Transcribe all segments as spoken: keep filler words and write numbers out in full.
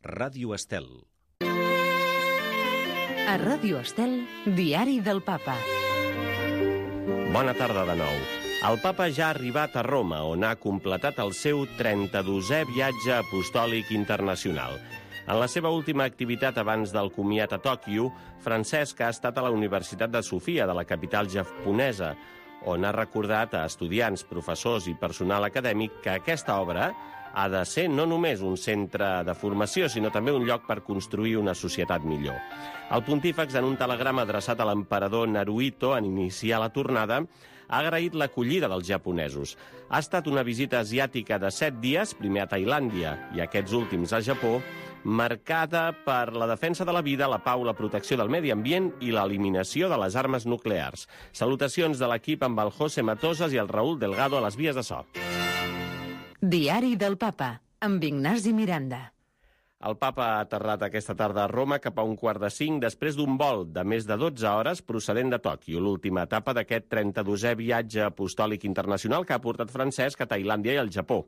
Ràdio Estel. A Ràdio Estel, Diari del Papa. Bona tarda de nou. El papa ja ha arribat a Roma, on ha completat el seu trenta-dosè viatge apostòlic internacional. En la seva última activitat abans del comiat a Tòquio, Francesc ha estat a la Universitat de Sofia, de la capital japonesa, on ha recordat a estudiants, professors i personal acadèmic que aquesta obra ha de ser no només un centre de formació, sinó també un lloc per construir una societat millor. El pontífex, en un telegrama adreçat a l'emperador Naruhito en iniciar la tornada, ha agraït l'acollida dels japonesos. Ha estat una visita asiàtica de set dies, primer a Tailàndia i aquests últims a Japó, marcada per la defensa de la vida, la pau, la protecció del medi ambient i l'eliminació de les armes nuclears. Salutacions de l'equip amb el José Matosas i el Raúl Delgado a les vies de so. Diari del Papa, amb Ignasi Miranda. El papa ha aterrat aquesta tarda a Roma cap a un quart de cinc després d'un vol de més de dotze hores procedent de Tòquio, l'última etapa d'aquest trenta-dosè viatge apostòlic internacional que ha portat Francesc a Tailàndia i al Japó.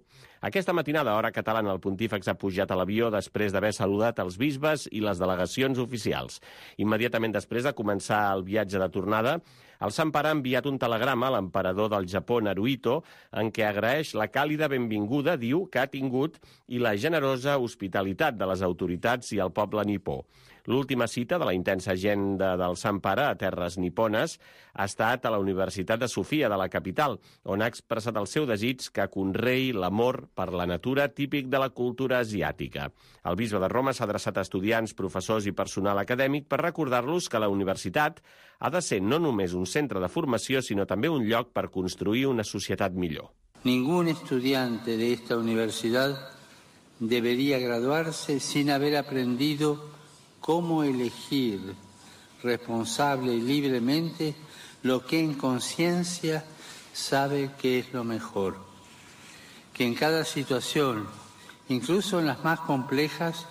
Aquesta matinada, a hora catalana, el pontífex ha pujat a l'avió després d'haver saludat els bisbes i les delegacions oficials. Immediatament després de començar el viatge de tornada, el Sant Pare ha enviat un telegrama a l'emperador del Japó, Naruhito, en què agraeix la càlida benvinguda, diu, que ha tingut i la generosa hospitalitat de les autoritats i el poble nipó. L'última cita de la intensa agenda del Sant Pare a terres nipones ha estat a la Universitat de Sofia, de la capital, on ha expressat el seu desig que conreï l'amor per la natura típic de la cultura asiàtica. El bisbe de Roma s'ha adreçat a estudiants, professors i personal acadèmic per recordar-los que la universitat ha de ser no només un centre de formació, sinó també un lloc per construir una societat millor. Ningún estudiante de esta universidad debería graduarse sin haber aprendido cómo elegir responsable y libremente lo que en conciencia sabe que es lo mejor. Que en cada situación, incluso en las más complejas,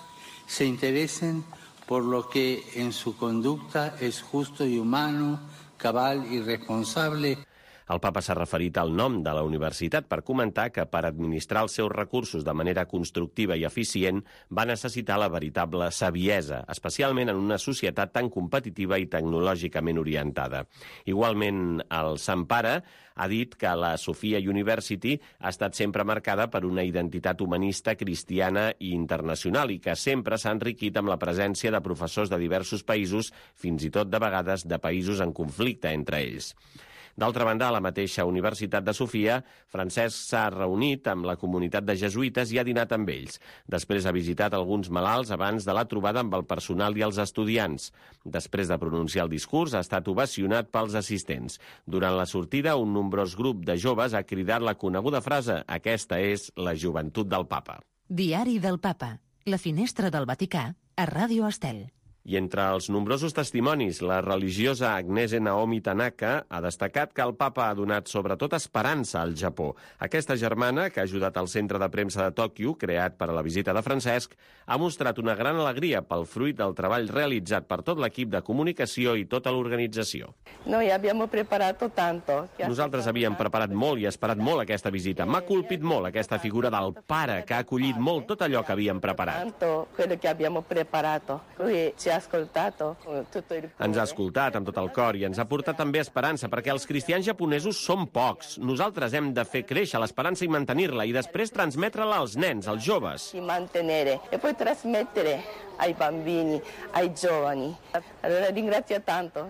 se interesen por lo que en su conducta es justo y humano, cabal y responsable. El papa s'ha referit al nom de la universitat per comentar que per administrar els seus recursos de manera constructiva i eficient va necessitar la veritable saviesa, especialment en una societat tan competitiva i tecnològicament orientada. Igualment, el Sant Pare ha dit que la Sofia University ha estat sempre marcada per una identitat humanista, cristiana i internacional i que sempre s'ha enriquit amb la presència de professors de diversos països, fins i tot de vegades de països en conflicte entre ells. D'altra banda, a la mateixa Universitat de Sofia, Francesc s'ha reunit amb la comunitat de jesuïtes i ha dinat amb ells. Després ha visitat alguns malalts abans de la trobada amb el personal i els estudiants. Després de pronunciar el discurs, ha estat ovacionat pels assistents. Durant la sortida, un nombrós grup de joves ha cridat la coneguda frase «Aquesta és la joventut del papa». Diari del Papa, la finestra del Vaticà, a Ràdio Estel. I entre els nombrosos testimonis, la religiosa Agnese Naomi Tanaka ha destacat que el papa ha donat sobretot esperança al Japó. Aquesta germana, que ha ajudat al centre de premsa de Tòquio, creat per a la visita de Francesc, ha mostrat una gran alegria pel fruit del treball realitzat per tot l'equip de comunicació i tota l'organització. Noi abbiamo preparato tanto. Nosaltres havíem preparat molt i esperat molt aquesta visita. M'ha colpit molt aquesta figura del pare, que ha acollit molt tot allò que havíem preparat. Tanto quello che abbiamo preparato. Lui ci ha ascoltato tutto il cuore. Ens ha escoltat amb tot el cor i ens ha portat també esperança, perquè els cristians japonesos són pocs. Nosaltres hem de fer créixer l'esperança i mantenir-la, i després transmetre-la als nens, als joves. Y mantenere e poi trasmettere ai bambini, ai giovani. Allora ringrazio tanto.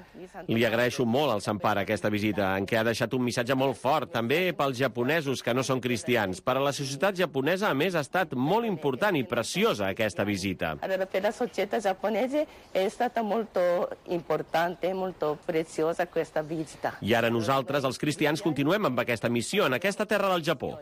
Li agraeixo molt al Sant Pare aquesta visita, en què ha deixat un missatge molt fort, també pels japonesos que no són cristians. Per a la societat japonesa, a més, ha estat molt important i preciosa aquesta visita. Allora per la società giapponese è stata molto importante, molto preziosa questa visita. I ara nosaltres, els cristians, continuem amb aquesta missió en aquesta terra del Japó.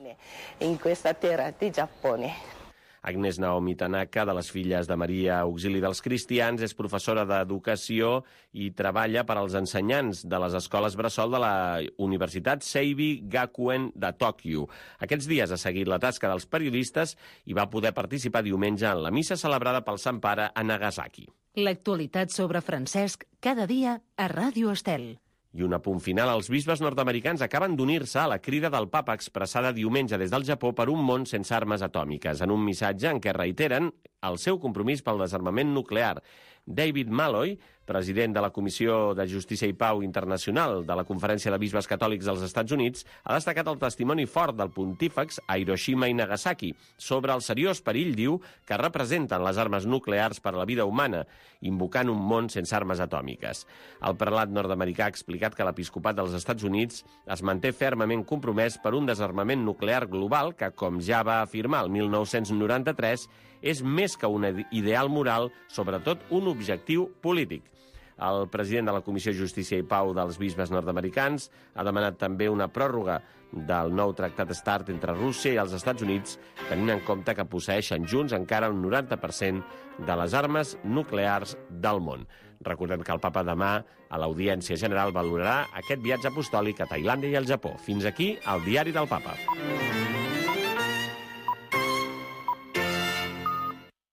In questa terra di Giappone. Agnès Naomi Tanaka, de les Filles de Maria Auxili dels Cristians, és professora d'educació i treballa per als ensenyants de les escoles bressol de la Universitat Seibi Gakuen de Tòquio. Aquests dies ha seguit la tasca dels periodistes i va poder participar diumenge en la missa celebrada pel Sant Pare a Nagasaki. L'actualitat sobre Francesc cada dia a Ràdio Estel. I un apunt final, els bisbes nord-americans acaben d'unir-se a la crida del papa expressada diumenge des del Japó per un món sense armes atòmiques, en un missatge en què reiteren el seu compromís pel desarmament nuclear. David Malloy, president de la Comissió de Justícia i Pau Internacional de la Conferència de Bisbes Catòlics dels Estats Units, ha destacat el testimoni fort del pontífex a Hiroshima i Nagasaki sobre el seriós perill, diu, que representen les armes nuclears per a la vida humana, invocant un món sense armes atòmiques. El prelat nord-americà ha explicat que l'episcopat dels Estats Units es manté fermament compromès per un desarmament nuclear global que, com ja va afirmar el mil nou-cents noranta-tres, és més que un ideal moral, sobretot un objectiu polític. El president de la Comissió de Justícia i Pau dels Bisbes nord-americans ha demanat també una pròrroga del nou tractat START entre Rússia i els Estats Units, tenint en compte que posseeixen junts encara un noranta per cent de les armes nuclears del món. Recordem que el papa demà, a l'Audiència General, valorarà aquest viatge apostòlic a Tailàndia i al Japó. Fins aquí el diari del papa.